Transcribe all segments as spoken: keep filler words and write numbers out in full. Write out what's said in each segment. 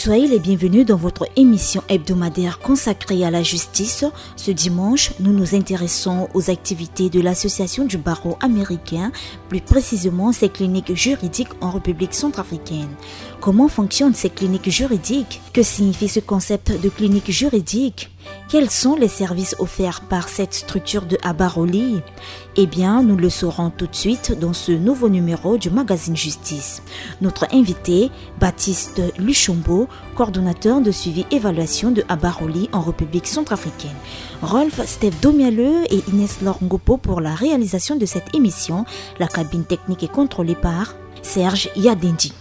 Soyez les bienvenus dans votre émission hebdomadaire consacrée à la justice. Ce dimanche, nous nous intéressons aux activités de l'Association du barreau américain, plus précisément ses cliniques juridiques en République centrafricaine. Comment fonctionnent ces cliniques juridiques ? Que signifie ce concept de clinique juridique ? Quels sont les services offerts par cette structure de Abaroli ? Eh bien, nous le saurons tout de suite dans ce nouveau numéro du magazine Justice. Notre invité, Baptiste Luchombo, coordonnateur de suivi évaluation de Abaroli en République centrafricaine. Rolf Steph Domialeux et Inès Laure Ngopo pour la réalisation de cette émission. La cabine technique est contrôlée par Serge Yadendi.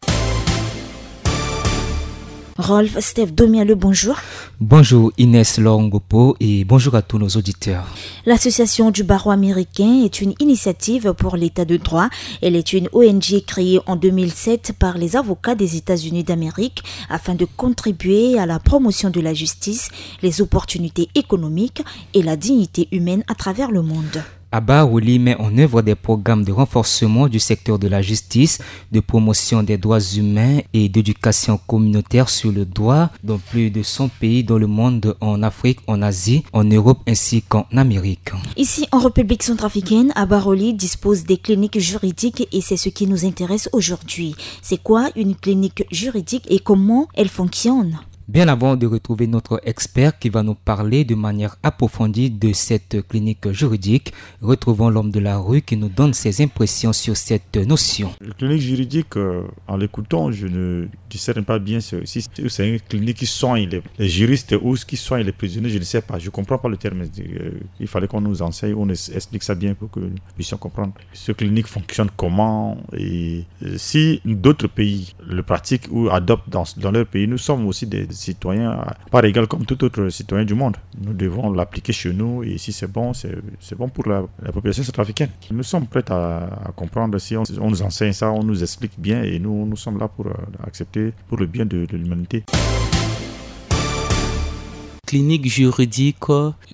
Rolf Steph Domialeux, bonjour. Bonjour Inès Laure Ngopo et bonjour à tous nos auditeurs. L'Association du barreau américain est une initiative pour l'état de droit. Elle est une O N G créée en deux mille sept par les avocats des États-Unis d'Amérique afin de contribuer à la promotion de la justice, les opportunités économiques et la dignité humaine à travers le monde. Abaroli met en œuvre des programmes de renforcement du secteur de la justice, de promotion des droits humains et d'éducation communautaire sur le droit dans plus de cent pays dans le monde, en Afrique, en Asie, en Europe ainsi qu'en Amérique. Ici, en République centrafricaine, Abaroli dispose des cliniques juridiques et c'est ce qui nous intéresse aujourd'hui. C'est quoi une clinique juridique et comment elle fonctionne ? Bien avant de retrouver notre expert qui va nous parler de manière approfondie de cette clinique juridique, retrouvons l'homme de la rue qui nous donne ses impressions sur cette notion. La clinique juridique, euh, en l'écoutant, je ne discerne pas bien si c'est une clinique qui soigne les, les juristes ou qui soigne les prisonniers, je ne sais pas, je ne comprends pas le terme. Euh, il fallait qu'on nous enseigne, on nous explique ça bien pour que nous puissions comprendre. Cette clinique fonctionne comment et euh, si d'autres pays le pratiquent ou adoptent dans, dans leur pays, nous sommes aussi des citoyens à part égale comme tout autre citoyen du monde. Nous devons l'appliquer chez nous et si c'est bon, c'est bon pour la, la population centrafricaine. Nous sommes prêts à, à comprendre si on, on nous enseigne ça, on nous explique bien et nous, nous sommes là pour euh, accepter pour le bien de, de l'humanité. Clinique juridique,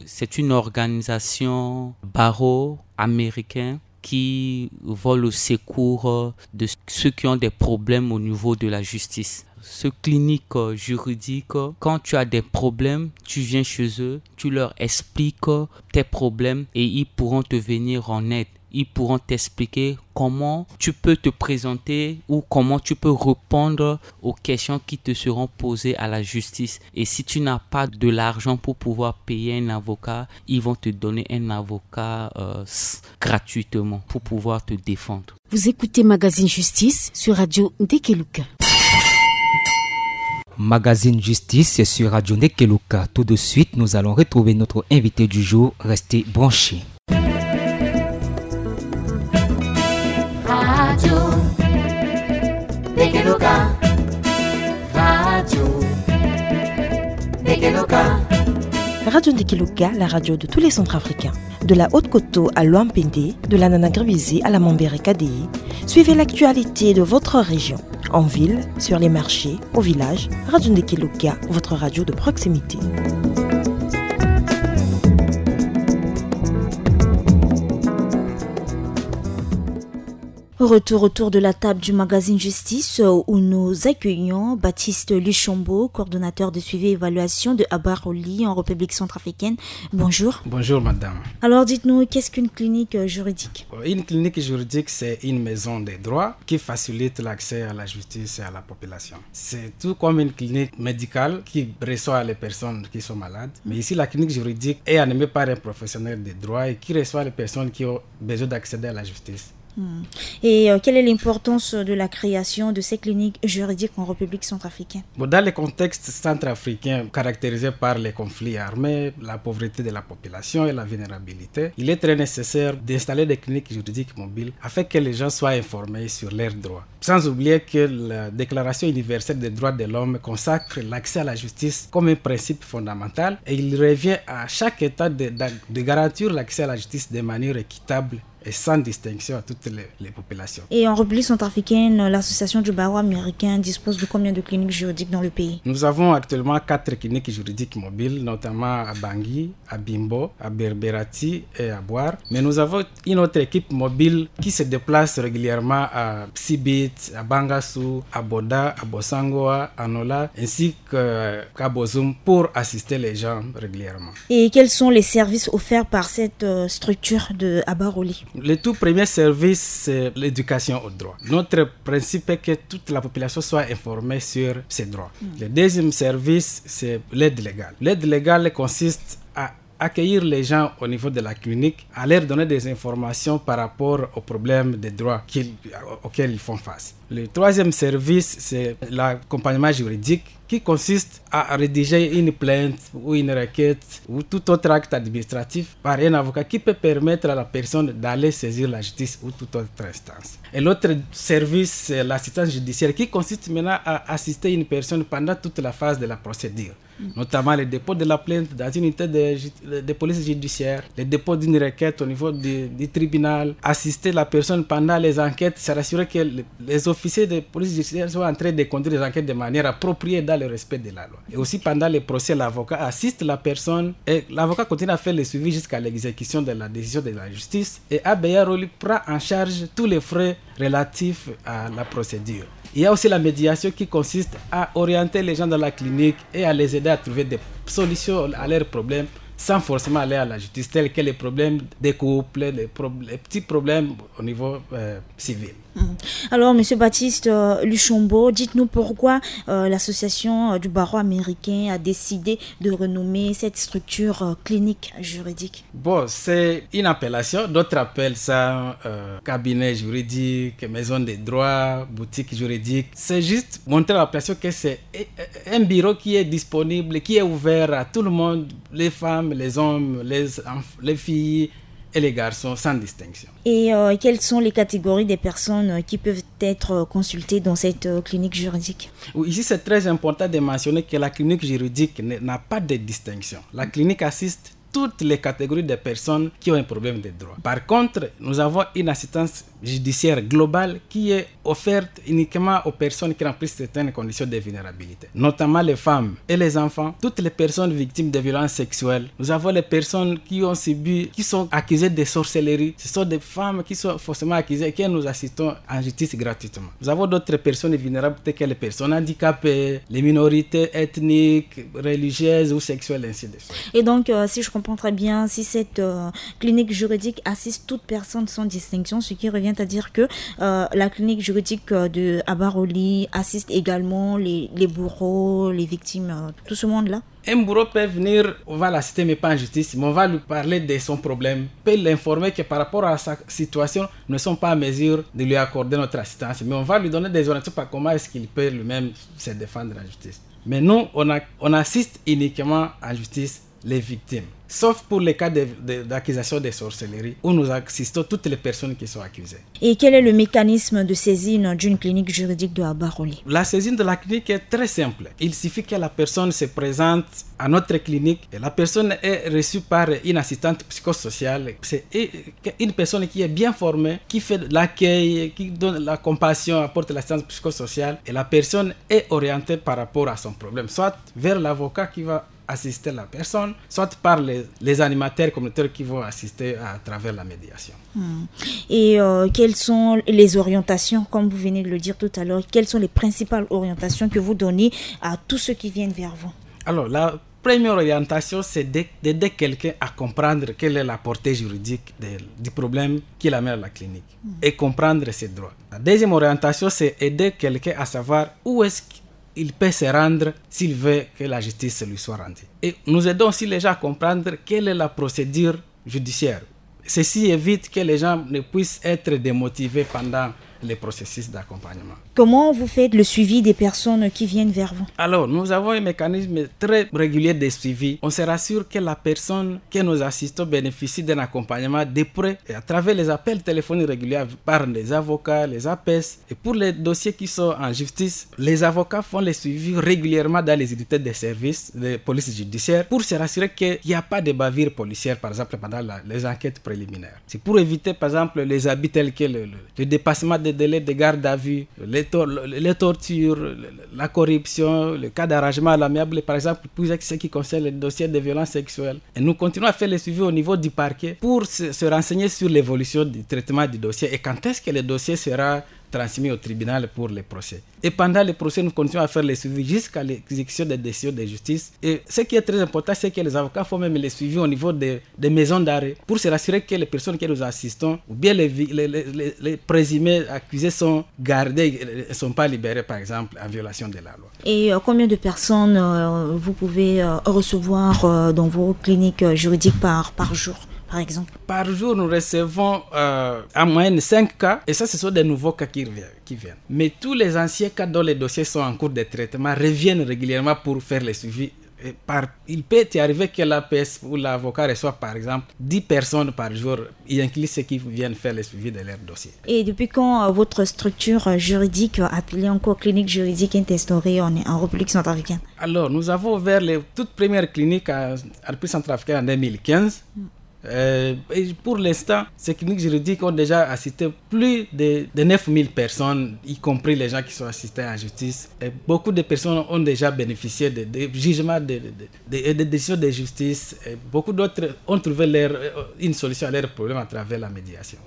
c'est une organisation barreau américain qui vont au secours de ceux qui ont des problèmes au niveau de la justice. Ce clinique juridique, quand tu as des problèmes, tu viens chez eux, tu leur expliques tes problèmes et ils pourront te venir en aide. Ils pourront t'expliquer comment tu peux te présenter ou comment tu peux répondre aux questions qui te seront posées à la justice. Et si tu n'as pas de l'argent pour pouvoir payer un avocat, ils vont te donner un avocat euh, gratuitement pour pouvoir te défendre. Vous écoutez Magazine Justice sur Radio Ndekeluka. Magazine Justice sur Radio Ndekeluka. Tout de suite, nous allons retrouver notre invité du jour. Restez branchés. Radio Ndekeluka. Radio Ndekeluka. Radio Ndekeluka, la radio de tous les Centrafricains. De la Haute-Koto à Loampende, de la Nana Gribizé à la Mambere Kadéi, suivez l'actualité de votre région. En ville, sur les marchés, au village, Radio Ndekeluka, votre radio de proximité. Retour autour de la table du magazine Justice, euh, où nous accueillons Baptiste Luchombo, coordonnateur de suivi et évaluation de Abaroli en République centrafricaine. Bonjour. Bonjour, madame. Alors, dites-nous, qu'est-ce qu'une clinique, euh, juridique ? Euh, une clinique juridique, c'est une maison des droits qui facilite l'accès à la justice et à la population. C'est tout comme une clinique médicale qui reçoit les personnes qui sont malades. Mais ici, la clinique juridique est animée par un professionnel de droit et qui reçoit les personnes qui ont besoin d'accéder à la justice. Hmm. Et, euh, quelle est l'importance de la création de ces cliniques juridiques en République centrafricaine ? Bon, dans le contexte centrafricain caractérisé par les conflits armés, la pauvreté de la population et la vulnérabilité, il est très nécessaire d'installer des cliniques juridiques mobiles afin que les gens soient informés sur leurs droits. Sans oublier que la Déclaration universelle des droits de l'homme consacre l'accès à la justice comme un principe fondamental et il revient à chaque État de, de, de garantir l'accès à la justice de manière équitable et sans distinction à toutes les, les populations. Et en République centrafricaine, l'association du barreau américain dispose de combien de cliniques juridiques dans le pays ? Nous avons actuellement quatre cliniques juridiques mobiles, notamment à Bangui, à Bimbo, à Berberati et à Bouar. Mais nous avons une autre équipe mobile qui se déplace régulièrement à Sibit, à Bangassou, à Boda, à Bossangoa, à Nola, ainsi qu'à Bozoum pour assister les gens régulièrement. Et quels sont les services offerts par cette euh, structure de Abaroli ? Le tout premier service, c'est l'éducation au droit. Notre principe est que toute la population soit informée sur ses droits. Le deuxième service, c'est l'aide légale. L'aide légale consiste à accueillir les gens au niveau de la clinique, à leur donner des informations par rapport aux problèmes de droit qu'ils, auxquels ils font face. Le troisième service, c'est l'accompagnement juridique qui consiste à rédiger une plainte ou une requête ou tout autre acte administratif par un avocat qui peut permettre à la personne d'aller saisir la justice ou toute autre instance. Et l'autre service, c'est l'assistance judiciaire qui consiste maintenant à assister une personne pendant toute la phase de la procédure, notamment le dépôt de la plainte dans une unité de, de police judiciaire, le dépôt d'une requête au niveau du, du tribunal, assister la personne pendant les enquêtes, s'assurer que le, les officiers de police judiciaire sont en train de conduire les enquêtes de manière appropriée dans le respect de la loi. Et aussi pendant les procès, l'avocat assiste la personne et l'avocat continue à faire le suivi jusqu'à l'exécution de la décision de la justice. Et Abeya Roli prend en charge tous les frais relatifs à la procédure. Il y a aussi la médiation qui consiste à orienter les gens dans la clinique et à les aider à trouver des solutions à leurs problèmes sans forcément aller à la justice, tels que les problèmes des couples, les, pro les petits problèmes au niveau euh, civil. Alors, Monsieur Baptiste euh, Luchombo, dites-nous pourquoi euh, l'association euh, du barreau américain a décidé de renommer cette structure euh, clinique juridique. Bon, c'est une appellation. D'autres appellent ça euh, cabinet juridique, maison de droit, boutique juridique. C'est juste montrer à la personne que c'est un bureau qui est disponible, qui est ouvert à tout le monde, les femmes, les hommes, les, les filles et les garçons, sans distinction. Et euh, quelles sont les catégories des personnes euh, qui peuvent être euh, consultées dans cette euh, clinique juridique ? Ici, c'est très important de mentionner que la clinique juridique n'a pas de distinction. La clinique assiste toutes les catégories de personnes qui ont un problème de droit. Par contre, nous avons une assistance judiciaire globale qui est offerte uniquement aux personnes qui remplissent certaines conditions de vulnérabilité, notamment les femmes et les enfants, toutes les personnes victimes de violences sexuelles. Nous avons les personnes qui ont subi, qui sont accusées de sorcellerie. Ce sont des femmes qui sont forcément accusées et que nous assistons en justice gratuitement. Nous avons d'autres personnes vulnérables telles que les personnes handicapées, les minorités ethniques, religieuses ou sexuelles, ainsi de suite. Et donc, euh, si je comprends très bien, si cette euh, clinique juridique assiste toute personne sans distinction, ce qui revient à dire que euh, la clinique juridique euh, de Abaroli assiste également les, les bourreaux, les victimes, euh, tout ce monde-là ? Un bourreau peut venir, on va l'assister, mais pas en justice, mais on va lui parler de son problème, peut l'informer que par rapport à sa situation, nous ne sommes pas en mesure de lui accorder notre assistance, mais on va lui donner des orientations par comment est-ce qu'il peut lui-même se défendre en justice. Mais nous, on, a, on assiste uniquement en justice les victimes, sauf pour les cas d'accusation de, de, de sorcellerie, où nous assistons toutes les personnes qui sont accusées. Et quel est le mécanisme de saisine d'une clinique juridique de Abaroli ? La saisine de la clinique est très simple. Il suffit que la personne se présente à notre clinique et la personne est reçue par une assistante psychosociale. C'est une personne qui est bien formée, qui fait l'accueil, qui donne la compassion, apporte l'assistance psychosociale et la personne est orientée par rapport à son problème, soit vers l'avocat qui va assister la personne, soit par les, les animateurs communautaires qui vont assister à travers la médiation. Hmm. Et euh, quelles sont les orientations, comme vous venez de le dire tout à l'heure, quelles sont les principales orientations que vous donnez à tous ceux qui viennent vers vous ? Alors, la première orientation, c'est d'aider quelqu'un à comprendre quelle est la portée juridique de, du problème qui l'amène à la clinique hmm. et comprendre ses droits. La deuxième orientation, c'est aider quelqu'un à savoir où est-ce il peut se rendre s'il veut que la justice lui soit rendue. Et nous aidons aussi les gens à comprendre quelle est la procédure judiciaire. Ceci évite que les gens ne puissent être démotivés pendant le processus d'accompagnement. Comment vous faites le suivi des personnes qui viennent vers vous ? Alors, nous avons un mécanisme très régulier de suivi. On se rassure que la personne que nous assistons bénéficie d'un accompagnement de près et à travers les appels téléphoniques réguliers par les avocats, les A P S. Et pour les dossiers qui sont en justice, les avocats font les suivis régulièrement dans les unités de service de police judiciaire pour se rassurer qu'il n'y a pas de bavure policière, par exemple, pendant la, les enquêtes préliminaires. C'est pour éviter, par exemple, les abus tels que le, le, le dépassement des délais de garde à vue, les, tor- les tortures, le- le- la corruption, le cas d'arrangement à l'amiable, par exemple, pour ce qui concerne les dossiers de violence sexuelle. Et nous continuons à faire le suivi au niveau du parquet pour se, se renseigner sur l'évolution du traitement du dossier et quand est-ce que le dossier sera transmis au tribunal pour les procès. Et pendant les procès, nous continuons à faire les suivis jusqu'à l'exécution des décisions de justice. Et ce qui est très important, c'est que les avocats font même les suivis au niveau des, des maisons d'arrêt pour se rassurer que les personnes que nous assistons, ou bien les, vi- les, les- les- les présumés accusés sont gardés et ne sont pas libérés, par exemple, en violation de la loi. Et euh, combien de personnes euh, vous pouvez euh, recevoir euh, dans vos cliniques euh, juridiques par, par jour, par exemple ? Par jour, nous recevons euh, en moyenne cinq cas, et ça, ce sont des nouveaux cas qui reviennent, qui viennent. Mais tous les anciens cas dont les dossiers sont en cours de traitement reviennent régulièrement pour faire les suivis. Et par, il peut y arriver que l'A P S ou l'avocat reçoit, par exemple, dix personnes par jour, y inclut ceux qui viennent faire les suivis de leur dossier. Et depuis quand euh, votre structure euh, juridique euh, appelée encore clinique juridique est instaurée en, en République centrafricaine ? Alors, nous avons ouvert les toutes premières cliniques en, en République centrafricaine en deux mille quinze. Euh, et pour l'instant, ces cliniques juridiques ont déjà assisté plus de, de neuf mille personnes, y compris les gens qui sont assistés en justice. Et beaucoup de personnes ont déjà bénéficié de, de jugements, de, de, de- et de décisions de justice. Et beaucoup d'autres ont trouvé leur, euh, une solution à leurs problèmes à travers la médiation.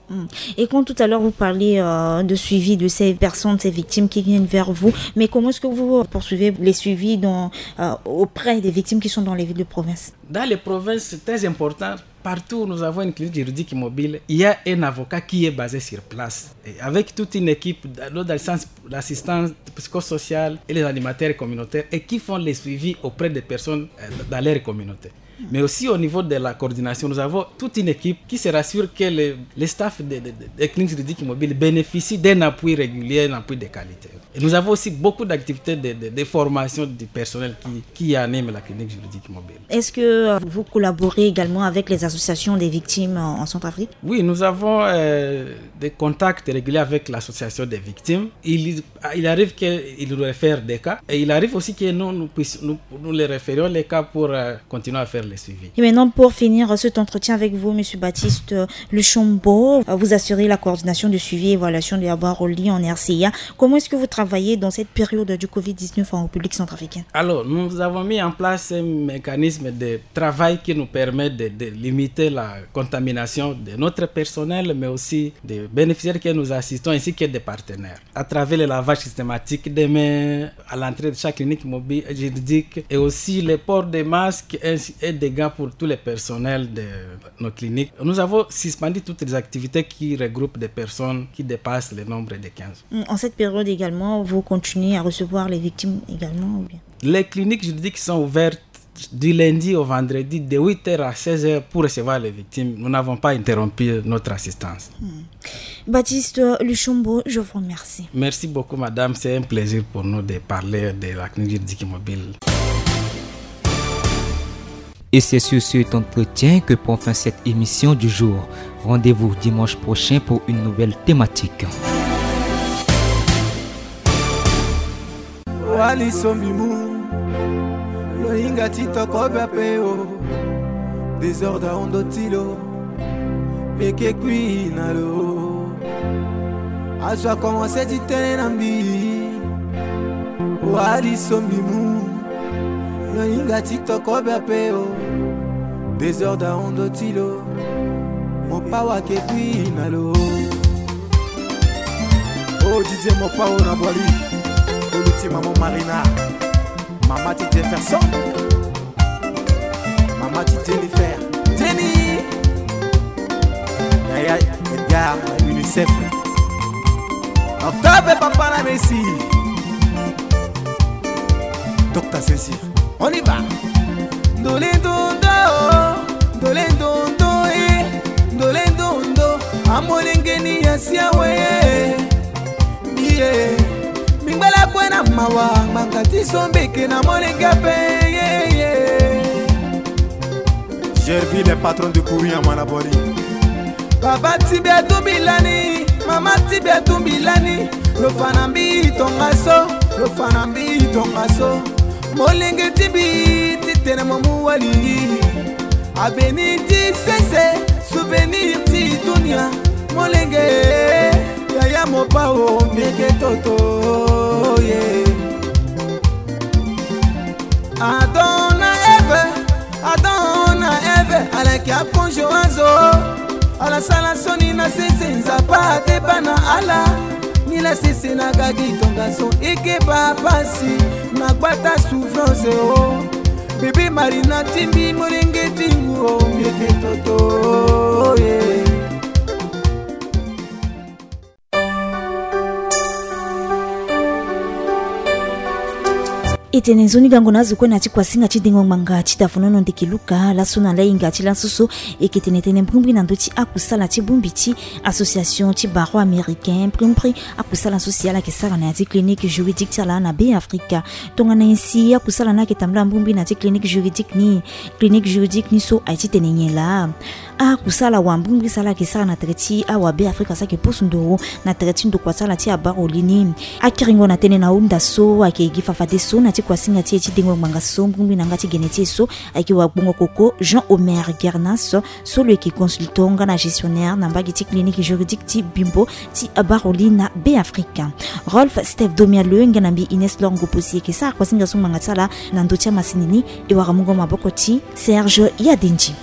Et quand tout à l'heure vous parliez euh, de suivi de ces personnes, ces victimes qui viennent vers vous, mais comment est-ce que vous poursuivez les suivis dans, euh, auprès des victimes qui sont dans les villes de province ? Dans les provinces, c'est très important. Partout où nous avons une clinique juridique mobile, il y a un avocat qui est basé sur place. Et avec toute une équipe, dans le sens l'assistance psychosociale et les animateurs communautaires, et qui font les suivis auprès des personnes euh, dans leur communauté. Mais aussi au niveau de la coordination, nous avons toute une équipe qui se rassure que les, les staffs des de, de, de cliniques juridiques mobiles bénéficient d'un appui régulier, un appui de qualité. Et nous avons aussi beaucoup d'activités de, de, de formation du personnel qui, qui anime la clinique juridique mobile. Est-ce que euh, vous collaborez également avec les associations des victimes euh, en Centrafrique ? Oui, nous avons euh, des contacts réguliers avec l'association des victimes. Il, il arrive qu'ils nous réfèrent des cas et il arrive aussi que nous, nous, puissions- nous, nous les référions les cas pour euh, continuer à faire les suivis. Et maintenant, pour finir euh, cet entretien avec vous, Monsieur Baptiste euh, Luchombo, euh, vous assurez la coordination de suivi et évaluation de la barre au lit en R C I A. Comment est-ce que vous travaillez dans cette période du covid dix-neuf en République centrafricaine ? Alors, nous avons mis en place un mécanisme de travail qui nous permet de, de limiter la contamination de notre personnel, mais aussi des bénéficiaires que nous assistons, ainsi que des partenaires, à travers le lavage systématique des mains à l'entrée de chaque clinique mobile juridique et aussi le port des masques ainsi- et des gants pour tous les personnels de nos cliniques. Nous avons suspendu toutes les activités qui regroupent des personnes qui dépassent le nombre de quinze. En cette période également, vous continuez à recevoir les victimes également ou bien ? Les cliniques juridiques sont ouvertes du lundi au vendredi de huit heures à seize heures pour recevoir les victimes. Nous n'avons pas interrompu notre assistance. Baptiste Luchombo, je vous remercie. Merci beaucoup, madame. C'est un plaisir pour nous de parler de la clinique juridique mobile. Et c'est sur cet entretien que prend fin cette émission du jour. Rendez-vous dimanche prochain pour une nouvelle thématique. Wali sombi mu, lo hinga ti toko bia pe o. Désordre ahondo ti lo, mbi yeke kui na lo. Azo akomanse ti tene na mbi. Wali sombi mu, lo hinga ti toko bia pe o. Désordre ahondo ti lo, mo pa wa yeke kui na lo. Oh Didier Mopao na Boali. Oluti maman Marina. Mama ti Jefferson. Mama ti Jennifer. Jenny. Yaya Edgar na UNICEF. Octobre papa na Messi. Docteur César. On y va. Ndole ndondo, ndole ndondo, eh. Ndole ndondo, amolengeni ya siawe, eh. Ti so mbeke na molenge ape, ye, ye. Gerville, le patron de Kouri, Amanabori. Baba ti mbi atumbi lani, mama ti mbi atumbi lani. Lo fa na mbi tongaso, lo fa na mbi tongaso. Molenge ti mbi ti tene mo mu wali. Avenir ti sese, souvenir ti dunia. Molenge, yaya mo pa o, mbeke toto, ye. Adon na Eve, Adon na Eve, ala yeke akonzo azo. Ala sala so ni na sese, Nzapa adeba na ala. Ni la sese na gagi tongaso, e ke baa pasi na gbata souffrance o. Bebe Marina ti mbi, molenge ti ngu o, mbeke toto, ye. E tene nzoni gango na azo kue na ti kuasinga ti dengo ngbanga ti dafonono ndeke luka. Laso na lahinga ti laso so e yeke tene tënë mbrimbri na ndö ti akusala ti bongbi ti association ti barreau américain, mbrimbri akusala so si ala yeke sara na ya ti clinique juridique ti ala na Beafrika. Tongana nyen si akusala ni ayeke tambula mbrimbri na ya ti clinique juridique ni? Clinique juridique ni so aye ti tene nyen laa? Akusala wambrimbri so ala yeke sara na tere ti awa Beafrika so ayeke pusu nduru na tere ti ndokua ti ala ti abaro li ni. Akiringo na tënë na hunda so ayeke gi fafadeso na ti kuasinga ti e ti dengo ngbanga so mbrimbri na yanga ti gene ti e so ayeke wagbongo koko Jean Omer Gernas, so lo yeke consultant nga na gestionnaire na mbage ti clinique juridique ti Bimbo ti abaro li na Beafrika. Rolf Steph Domialeu nga na mbi Ines Lor Ngopo si e yeke sara kuasinga so ngbanga ti ala na ndö ti amasini ni. E wara mungo maboko ti Serge Yadendi.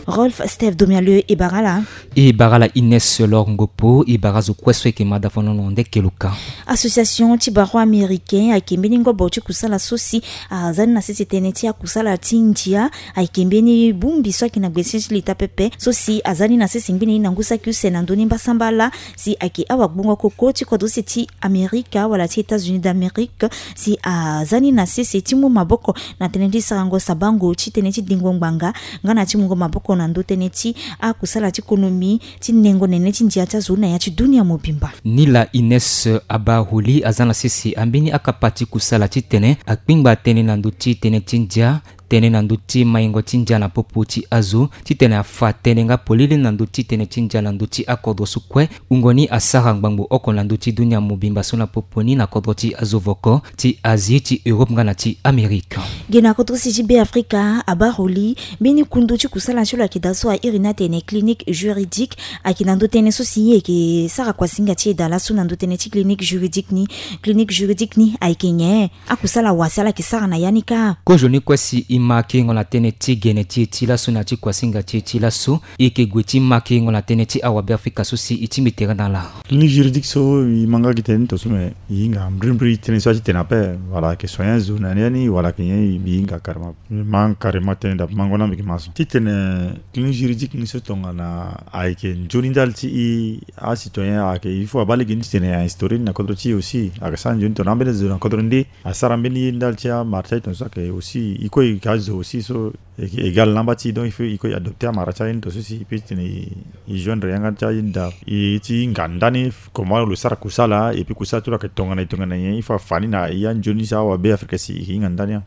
Rolf Steph Domialeu, e bara ala. E bara ala Ines Lor Ngopo, e bara azo kue so e yeke ma dafonono ndeke luka. Association ti barreau américain ayeke mbeni ngobo ti kusala so si aza ni na sese tënë ti akusala ti ndia. Ayeke mbeni bongbi so ayeke na gbene ti leta pepe so si aza ni na sese ngbene ni na ngu saki use na ndö ni mbasambala si ayeke awagbongo koko ti kodro use ti Amerika wala ti États-Unis d'Amérique, si aza ni na sese ti mu maboko na tënë ti sarango sabango ti tënë ti dengo ngbanga nga na ti mungo maboko na ndö tënë ti akusala ti konomi ti nengo nene ti ndia ti azo na ya ti dunia mobimba. Ni la Ines Abaroli aza na sese ambeni akapa ti kusala titene akpingba tënë na ndö ti tënë ti ndia, tënë na ndö ti maingo ti ndia na popo ti azo, titene afa tënë nga polele na ndö ti tënë ti ndia na ndö ti akodro so kue. Wungo ni asara ngbangbo oko na ndö ti dunia mobimba so na popo ni na kodro ti azo voko ti Asie, ti Europe nga na ti Amerika. Ge na kodro si ti Beafrika, Abaroli, mbeni kundu ti kusala ti lo ayeke daa so a iri ni atene clinique juridique, ayeke na ndö tënë so si e yeke sara kuasinga ti e daa laso na ndö tënë ti clinique juridique ni. Clinique juridique ni ayeke nyen? Akusala wa si ala yeke sara na ya ni kâ? Kozo ni kue si e ma kiringo na tënë ti gene ti e ti laso na ya ti kuasinga ti e ti laso, e yeke gue ti ma kiringo na tënë ti awabeafrika so si e tingbi tere na ala. Clinique juridique so e ma nga gi tënë ni tongaso, me e hinga mbrimbri tënë so a ti tene ape, wala ayeke soigner zo na ni ya ni, wala ayeke nyen, e hinga carrément. E ma carrément tënë daa, mango na mbi yeke ma so. Titene clinique juridique ni so tongana ayeke nzoni ndali ti e, acitoyen ayeke, il faut abaa lege ni titene a instaurer ni na kodro ti e aussi. Ayeke sara nzoni tongana ambeni zo na kodro nde asara mbeni ye ndali ti amara ti aye tongaso, ayeke aussi e kue e yeke azo aussi so e yeke égal na amba ti e, donc il faut e kue e adopter amara ti aye ni tongaso si e peut titene e joindre yanga ti aye ni daa. E ti hinga ndani comment lo sara kusala, et puis kusala ti lo ayeke tongana e tongana nyen, il faut afa ni na e anzoni so awabeafrika si e hinga ndani.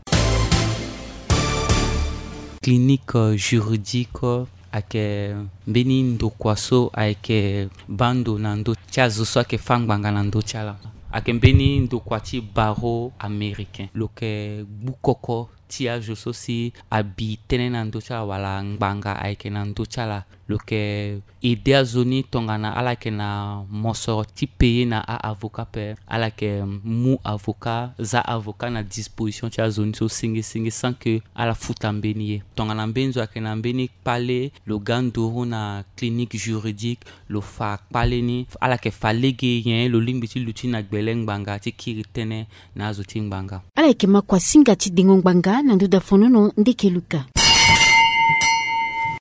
Clinique, euh, juridique, euh, ayeke mbeni ndokua so ayeke baa ndo na ndö ti azo so ayeke fâ ngbanga na ndö ti ala. Ayeke mbeni ndokua ti barreau américain. Lo yeke gbu koko ti azo so si abi tënë na ndö ti ala wala ngbanga ayeke na ndö ti ala. Lo yeke aider azo ni tongana ala yeke na mosoro ti payer na a-avocat ape, ala yeke mu avocat, za avocat na disposition ti azo ni so senge senge sans que ala futa mbeni ye. Tongana mbeni zo ayeke na mbeni kpale, lo ga nduru na clinique juridique, lo fa kpale ni, ala yeke fa lege nyen lo lingbi ti luti na gbele ngbanga ti kiri tënë na azo ti ngbanga. Ala yeke ma kuasinga ti dengo ngbanga na ndö dafonono ndeke luka.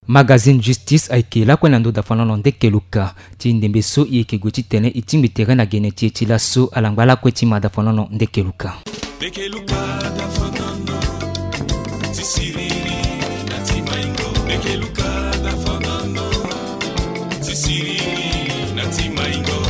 Magazine Justice ayeke lakue na ndö dafonono ndeke luka. Ti ndembe so e yeke gue titene e tingbi tere na gene ti e ti laso, ala ngba lakue ti ma dafonono ndeke luka. Ndeke luka dafonono ti siriri na ti maingo. Ndeke luka dafonono ti siriri na ti maingo.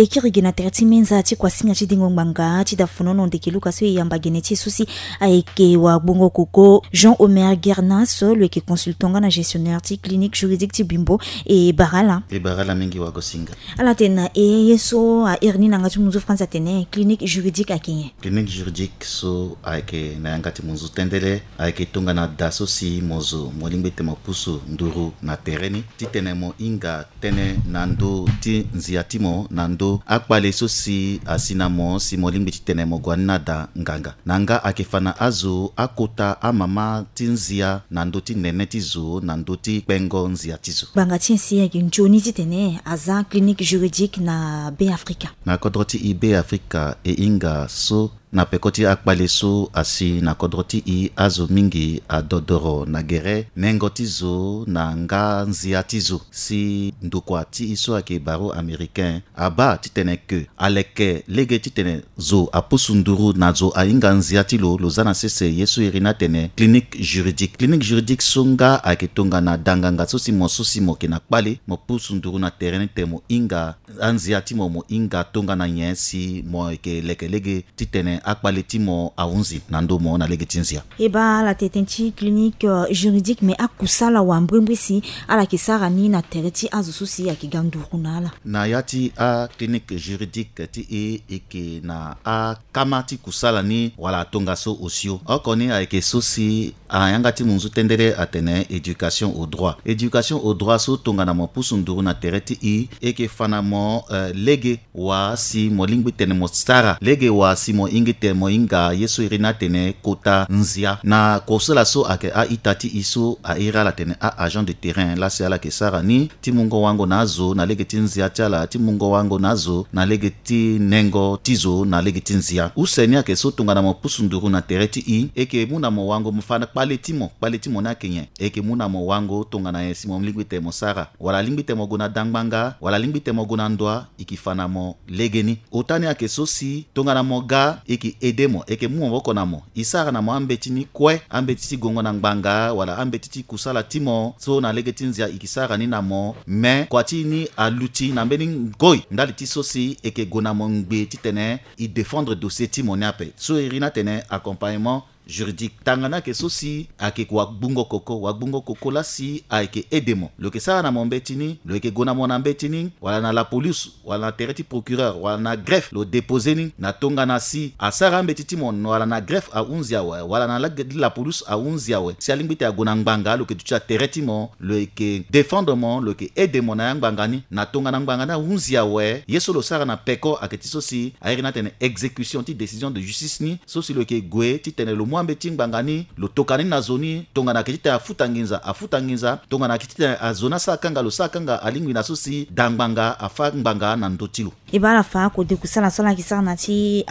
E kiri gi na tere ti menza ti kuasinga ti dengo ngbanga ti dafonono ndeke luka so e yamba gene ti e so si ayeke wagbongo koko Jean Omer Guernas, lo yeke consultant nga na gestionnaire ti clinique juridique ti Bimbo. E bara ala. E bara ala mingi wagosinga. Ala tene na e ye so a iri ni na yanga ti munzu France atene clinique juridique ayeke nyen? Clinique juridique so ayeke na yanga ti munzu tendele ayeke tongana da so si mo zo mo lingbi tene mo pusu nduru na tere ni titene mo hinga tënë na ndö ti nzia ti mo na ndö akpale so si asi na mo si mo lingbi titene mo gue ni na da nganga. Na nga ayeke fa na azo akota amama ti nzia na ndö ti nene ti zo na ndö ti kpengo nzia ti zo. Ngbanga ti nyen si ayeke nzoni titene aza clinique juridique na Be Afrika? Na kodro ti e Be Afrika e hinga so na peko ti akpale so asi na kodro ti e azo mingi adodoro na gere nengo ti zo na nga nzia ti zo si ndokua ti e so ayeke barreau américain abaa titene ke aleke lege titene zo apusu nduru na zo ahinga nzia ti lo, lo za na sese ye so iri ni atene clinique juridique. Clinique juridique so nga ayeke tongana danganga so si mo so si mo yeke na kpale mo pusu nduru na tere ni tene mo hinga anzia ti mo mo hinga tongana nyen si mo yeke leke lege titene akpale ti mo ahunzi na ndö mo na lege ti nzia. E baa ala tene ti clinique, euh, juridique, mais akusala wambrimbri si ala yeke sara ni na tere ti azo so si ayeke ga nduru na ala. Na ya ti aclinique juridique ti e, e yeke na akama ti kusala ni wala atongaso osio. Oko ni ayeke so si ayanga ti munzu tendele atene éducation au droit. Éducation au droit so tongana mo pusu nduru na tere ti e, e yeke fa na mo, euh, lege wa si mo lingbi tene mo sara, lege wa si mo hingi tene mo hinga ye so iri ni atene kota nzia. Na kosala so ayeke a-ita ti e so a iri ala tene a-agent de terrain laa si ala yeke sara ni ti mungo wango na azo na lege ti nzia ti ala, ti mungo wango na azo na lege ti nengo ti zo na lege ti nzia. Use ni ayeke so tongana mo pusu nduru na tere ti e, e yeke mu na mo wango mo fa na kpale ti mo, kpale ti mo ni ayeke nyen? E yeke mu na mo wango tongana nyen si mo lingbi tene mo sara, wala alingbi tene mo gue na da ngbanga, wala alingbi tene mo gue na ndoa, e yeke fa na mo legeni. Ota ni ayeke so si tongana mo ga, e yeke aide mo, e yeke mu maboko na mo. E sara na mo ambeti ni kue, ambeti ti gongo na ngbanga wala ambeti ti kusala ti mo so na lege ti nzia e yeke sara ni na mo. Me kua ti e ni aluti na mbeni ngoi ndali ti so si e yeke gue na mo ngbe titene e défendre dossier ti mo ni ape. So iri ni atene accompagnement juridique. Tanga ni ayeke so si ayeke wagbungo koko, wagbungo koko laa si ayeke aide mo. Lo yeke sara na mo mbeti ni, lo yeke gue na mo na mbeti ni, wala na lapolice, wala na tere ti procureur, wala na greffe, lo dépose ni na tongana si asara ambeti ti mo wala na greffe ahunzi awe, wala na la, lapolice ahunzi awe. Si alingbi tene ague na ngbanga, lo yeke duti na tere ti mo, lo yeke défendre mo, lo yeke aide mo na ya ngbanga ni. Na tongana ngbanga ni ahunzi awe, ye so lo sara na peko ayeke ti so si a iri ni atene exécution ti décision de justice ni, so si lo yeke gue titene lo mu ambeti ti ngbanga ni, lo toka ni na zo ni, tongana ayeke titene afuta nginza, afuta nginza, tongana ayeke titene azo ni asara kanga, lo sara kanga, alingbi na so si da ngbanga, afâ ngbanga na ndö ti lo. E baa ala fa kode kusala so ala yeke sara na ti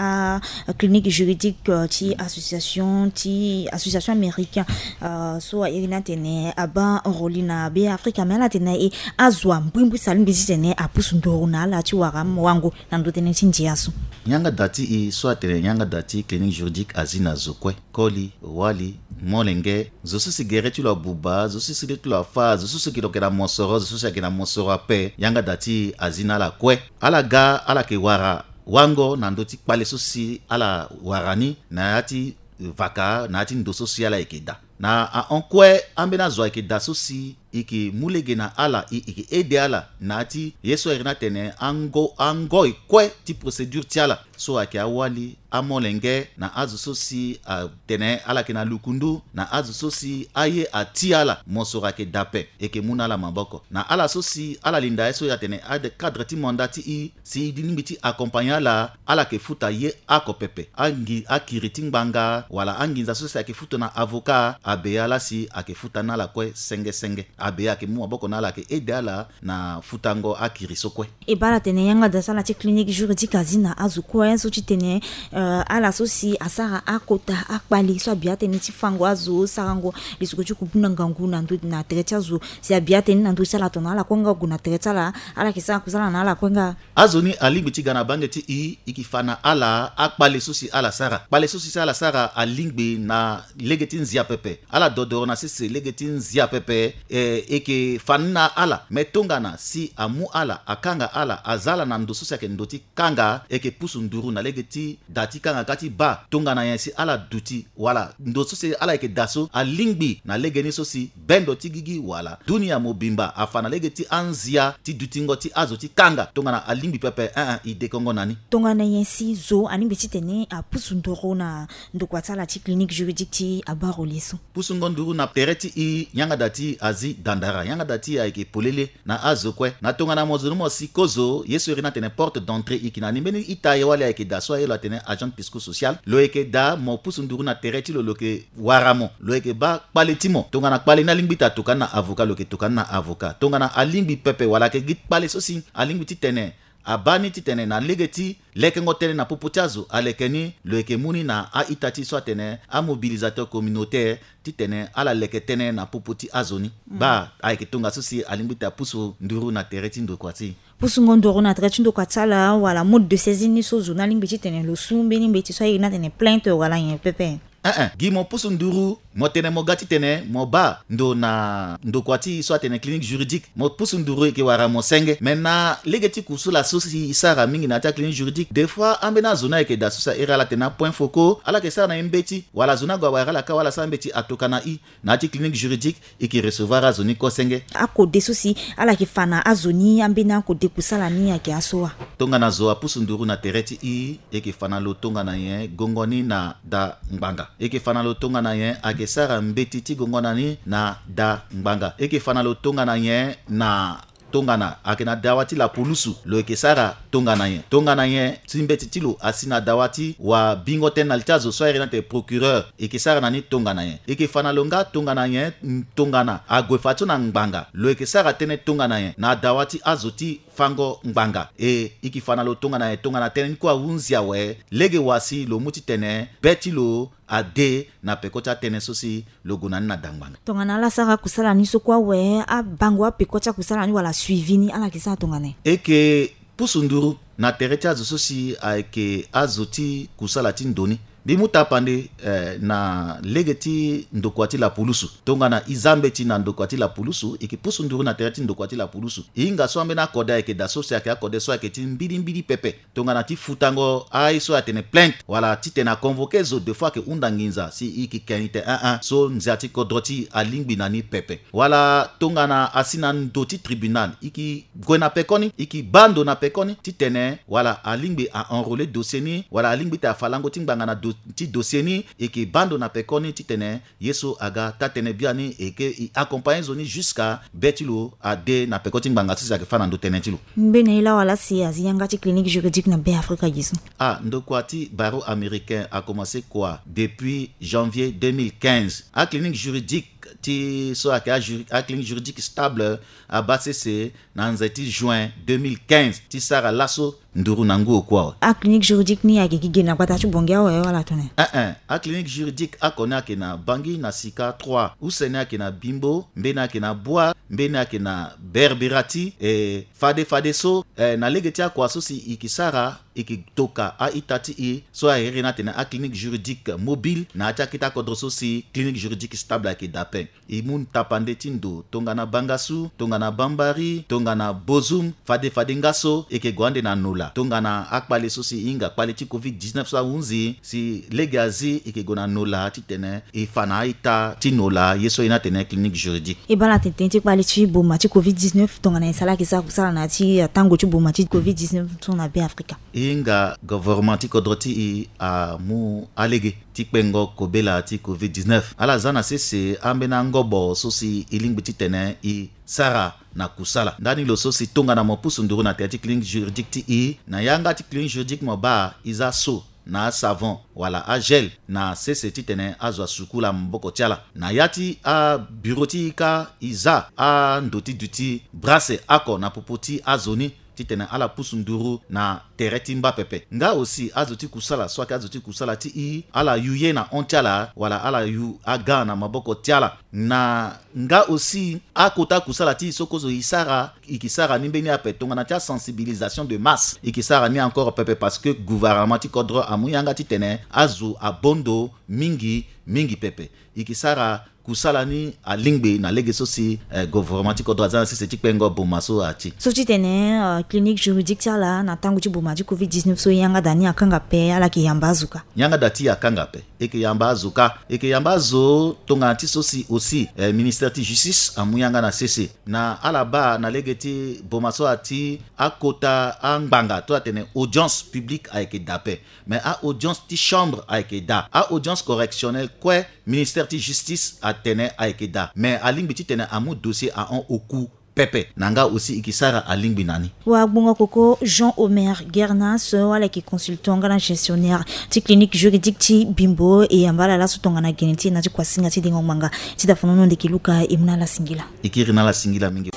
aclinique juridique, euh, ti association, ti association américain, euh, so a iri ni atene abaa roli na Be Afrika, me ala tene na e azo ambrimbri si alingbi titene apusu nduru na ala ti wara wango na ndö tënë ti ndia so. Yanga da ti e so atene yanga da ti clinique juridique azi na zo kue. Koli, wali, molenge, zo so si gere ti lo abuba, zo so si le ti lo afâ, zo so si lo yeke na mosoro, zo so si ayeke na mosoro ape, yanga da ti e azi na ala kue. Ala ga, ala yeke wara wango na ndö ti kpale so si ala wara ni na ya ti vaka, na ya ti ndo so si ala yeke daa. Na ahon kue ambeni azo ayeke daa so si e yeke mu lege na ala, e, e yeke aide ala na ya ti ye so a iri ni atene ango, angoi kue ti procédure ti ala. So ayeke awali, amolenge, na azo so si atene ala yeke na lukundu, na azo so si aye ati ala, mosoro ayeke daa ape. E yeke mu na ala maboko. Na ala so si ala linda ye so atene ade cadre ti mandat ti e, si e lingbi ti accompagner ala, ala yeke futa ye oko pepe. Angi, akiri ti ngbanga wala anginza so si ayeke futa na avocat, abeya laa si ayeke futa na ala kue senge senge. Abeya ayeke mu maboko na ala, ayeke aide ala na futango akiri so kue. E baa ala tene yanga da so ala ti clinique juridique azi na azo kue so ti tene, euh, ala so si asara akota akpale so abi atënë ti fango azo, sarango lisiko ti kubuna ngangu na ndö, na tere ti azo. Si abi atënë ni na ndö ti ala, tongana ala kue nga gue na tere ti ala, ala yeke sara kusala na ala kue nga. Azo ni alingbi ti ga na bange ti e, e yeke fa na ala akpale so si ala sara. Kpale so si ala sara alingbi na lege ti nzia pepe. Ala dodoro na sese lege ti nzia pepe. E, E, e yeke fa ni na ala, me tongana si amu ala, akanga ala, aza ala na ndo so si ayeke ndo ti kanga, e yeke pusu nduru na lege ti da ti kanga kâ ti baa. Tongana nyen si ala duti wala ndo so si ala yeke da so alingbi na legeni so si bendo ti gigi wala dunia mobimba afa na lege ti anzia ti dutingo ti azo ti kanga. Tongana alingbi pepe, eh, eh, e dekongo na ni. Tongana nyen si zo alingbi titene apusu nduru na ndokua ti ala ti clinique juridique ti abaro le so? Pusungo nduru na tere ti e yanga da ti azi dandara, yanga da ti e ayeke polele na azo kue. Na tongana mo zo ni mo si kozo, ye so iri ni atene porte d'entrée, e yeke na ni mbeni ita ye wali ayeke da so aye lo atene agent psychosocial. Lo yeke da mo pusu nduru na tere ti lo, lo yeke wara mo, lo yeke baa kpale ti mo. Tongana kpale ni alingbi ti atoka ni na avocat, lo yeke toka ni na avocat. Tongana alingbi pepe wala ayeke gi kpale so si alingbi titene abaa ni titene na lege ti lekengo tënë na popo ti azo aleke ni, lo yeke mu ni na a-ita ti so atene amobilisateur communautaire titene ala leke tënë na popo ti azo ni. Mm. Baa ayeke tongaso si alingbi ti apusu nduru na tere ti ndokua ti e. Pusungo nduru na tere ti ndokua ti ala wala mode de saisie ni so zo ni alingbi titene lo su mbeni mbeti so aye ni atene plainte wala nyen pepe? Eh, eh. Gi mo pusu nduru, mo tene mo ga titene mo baa ndo na ndokua ti e so atene clinique juridique. Mo pusu nduru, e yeke wara mo senge. Me na lege ti kusala so si e sara mingi na ya ti aclinique juridique, des fois ambeni azo ni ayeke da so si a iri ala atene apoint focaux, ala yeke sara na e mbeti, wala azo ni ague awara ala kâ wala asara mbeti atoka na e. Na ya ti clinique juridique, e yeke recevoir azo ni kosenge. Akode so si ala yeke fa na azo ni, ambeni akode kusala ni ayeke aso wa? Tongana zo apusu nduru na tere ti e, e yeke fa na lo tongana nyen? Gongo ni na da ngbanga. E yeke fa na lo tongana nyen? Ayeke sara mbeti ti gongo na ni na da ngbanga. E yeke fa na lo tongana nyen? Na tongana ayeke na dawa ti lapulusu, lo yeke sara tongana nyen? Tongana nyen si mbeti ti lo asi na dawa ti wabingo tënë na li ti azo so a iri ni atene procureur, e yeke sara na ni tongana nyen? E yeke fa na lo nga tongana nyen? Tongana ague fadeso na ngbanga, lo yeke sara tënë tongana nyen? Na dawa ti azo ti fango ngbanga. E, e yeke fa na lo tongana nyen? Tongana tënë ni kue ahunzi awe, lege wa si lo mu titene be ti lo ade na peko ti atënë so si lo gue na ni na da ngbanga. Tongana ala sara kusala ni so kue awe, abango apeko ti akusala ni wala suivi ni, ala yeke sara tongana nyen? E yeke pusu nduru na tere ti azo so si ayeke azo ti kusala ti ndo ni. Mbi mu tapande, eh, na lege ti ndokua ti lapulusu. Tongana e za mbeti na ndokua ti lapulusu, e yeke pusu nduru na tere ti ndokua ti lapulusu. E hinga so ambeni akode ayeke da so si ayeke akode so ayeke ti mbilimbili pepe. Tongana ti futango aye so atene plainte, wala titene aconvoqué zo, des fois ayeke hunda nginza si e yeke ke ni tene, eh, eh, so nzia ti kodro ti e alingbi na ni pepe. Wala tongana asi na ndo ti tribunal, e yeke gue na pekoni, e yeke baa ndo na pekoni titene wala alingbi a enrôler dossier ni, wala alingbi ti afa lango ti ngbanga na do-, ti dossier ni, e yeke baa ndo na pekoni titene ye so aga taa-tënë biani, e yeke e accompagner zo ni jusqu'à be ti lo ade na peko ti ngbanga so si ayeke fâ na ndo tënë ti lo. Mbeni aye laa wala si azi yanga ti clinique juridique na Beafrika gi so? Ah, ndokua ti barreau américain a commencé kua depuis janvier deux mille quinze. Aclinique juridique ti so ayeke ajuri-, aclinique juridique stable abaa sese na nze ti juin deux mille quinze ti sara laso nduru na ngu oku awe. Aclinique juridique ni ayeke gi gene na gbata ti Bangui awe wala tongana nyen? Eh, eh. Aclinique juridique oko ni ayeke na Bangui na Sika trois. Use ni ayeke na Bimbo, mbeni ayeke na Bua, mbeni ayeke na Berberati. E, fade fadeso, e, na lege ti akua so si e yeke sara, e yeke toka a-ita ti e so a iri ni atene aclinique juridique mobile na ya ti akete akodro so si clinique juridique stable ayeke daa ape. E mu tapande ti ndo tongana Bangassou, tongana Bambari, tongana Bozoum, fade fade nga so e yeke gue ande na nola. Tongana akpale so si e hinga kpale ti covid dix-neuf so ahunzi, si lege azi e yeke gue na nola titene e fa na a-ita ti nola ye so e iri ni atene clinique juridique. E baa na tene tënë ti kpale ti boma ti covid dix-neuf, tongana nyen si ala yeke sara kusala na ya ti atango ti boma ti covid dix-neuf so na Beafrika? E hinga gouvernement ti kodro ti e amu alege ti kpengo kobela ti covid dix-neuf. Ala za na sese ambeni angobo so si e lingbi titene e sara na kusala. Ndani lo so si tongana mo pusu nduru na tere ti clinique juridique ti e, na yanga ti clinique juridique mo baa e za so na asavon wala agel na sese titene azo asukula maboko ti ala. Na ya ti abureau ti e kâ e za ando ti duti brase oko na popo ti azo ni titene ala pusu nduru na tere ti mba pepe. Nga aussi azo ti kusala so ayeke azo ti kusala ti e, ala yu ye na hon ti ala wala ala yu aga na maboko ti ala. Na nga aussi akota kusala ti e so kozo e sara, e yeke sara ni mbeni ape tongana ti asensibilisation de masse, e yeke sara ni encore pepe parce que gouvernement ti kodro amu yanga titene azo abaa ndo mingi mingi pepe. E yeke sara Kusala ni alingbi na lege so si eh, gouvernement ti kodro aza na sese ti kpengo boma so ati. So ti tene eh, clinique juridique ti ala na tango ti boma ti covid dix-neuf so yanga da ni akanga pe, ala yeke yamba azo ka. Yanga da ti akanga pe, e yeke yamba azo ka, e yeke yamba azo tongana ti so si aussi eh, ministère ti justice amu yanga na sese na ala baa na lege ti boma so ati akota angbanga to atene audience publique ayeke da pe. Mais a audience ti chambre ayeke da, a audience correctionnelle kue, ministère ti justice atene ayeke da, mais alingbi titene amu dossier ahon oku pepe na nga aussi e ke sara alingbi na ni. Wagbongo koko Jean Omer Guernas, ala yeke consultant nga na gestionnaire ti clinique juridique ti Bimbo, e yamba ala laso tongana gene ti e na ti kuasinga ti dengo ngbanga. Ti dafanono ndeke Luka, e mu na ala singila. E kiri na ala singila mingi.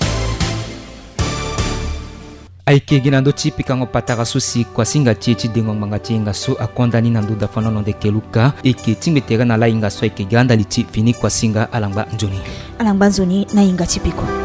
Ayeke gi na ndö ti pikango patara so si kuasinga ti e ti dengo ngbanga ti hinga so akonda ni na ndö dafanono ndeke Luka. E yeke tingbi tere na ala hinga so ayeke ga ndali ti fini kuasinga. Ala ngba nzoni. Ala ngba nzoni na hinga ti peko.